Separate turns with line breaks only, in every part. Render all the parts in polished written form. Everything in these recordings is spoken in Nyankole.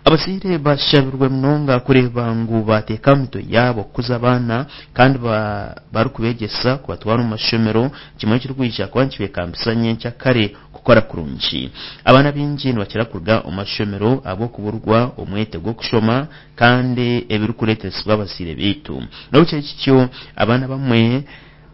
Abazaire bashabirwe munonga kureeba ngu baateeka aha mitwe yaabo kukuza abaana kandi barikubeegyesa kubatwara omu mashomero kimwe ekirikwija kuba nikibekambisa nyenkyakare kukora kurungi. Abaana baingi nibakira kuruga omu mashomero ahabw'okuburwa omwete gw'okushoma kandi ebirikureetesibwa abazaire baitu. N'obu kiri kityo, abaana abamwe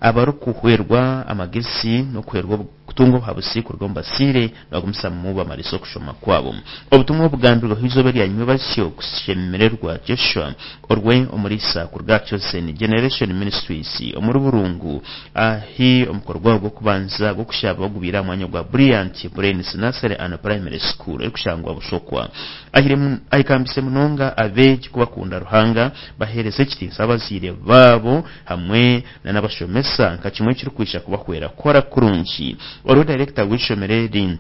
abarikuhwerwa amagezi n'okuhwerwa kutunga obuhabuzi kuruga omu bazaire nibagumizamu bamariza okushoma kwabo. Obutumwa obugambirweho eizooba erya nyomwebazyo Kushemererwa Joshua orwe omuriisa kuruga aha Chosen Generation Ministries omuri Burungu ahi omukoro gwabo gw'okubanza gw'okushaba gubaire aha mwanya gwa Brilliant Brains Nursery and Primary School erikushangwa Bushokwa. Ahikambise munonga abeegi kubakunda Ruhanga baheereze ekitiinisa abazaire baabo hamwe na n'abashomesa nka kimwe ekirikwija kubahwera kukora kurungi. Oriho dayirekita w'eishomero eri,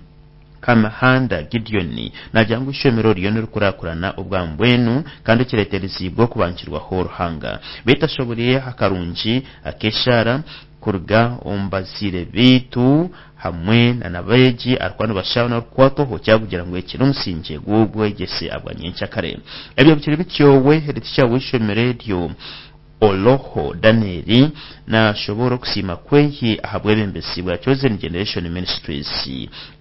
Kamihanda Gideon naagira ngu eishomero ririyo nirikurakurana obwa mbwenu kandi ekireetereziibwe okubangirwaho Ruhanga. Beitu ashoboreire akarungi ak'eshaara kuruga omu bazaire beitu hamwe na n'abeegi arikuba nibashaba n'orikukwatwaho kyakugira ngu eki n'omusingye gw'obwegyese abwa nyenkyakare. Ebyo bikiri bityo, we heeditikya w'eishomero eryo, Oloho Daniel nashoboora okusiima kweye ahabwebembezi bwa Chosen Generation Ministries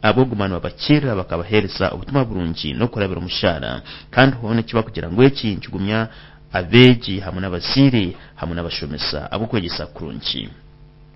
ahabw'okuguma nibabakiirira bakabaheereza obutumwa burungi n'okurabira omu shaara kandi hoona eki bakugira ngu eki nikigumya abeegi hamwe n'abazaire hamwe n'abashomesa ahabw'okwegyesa kurungi.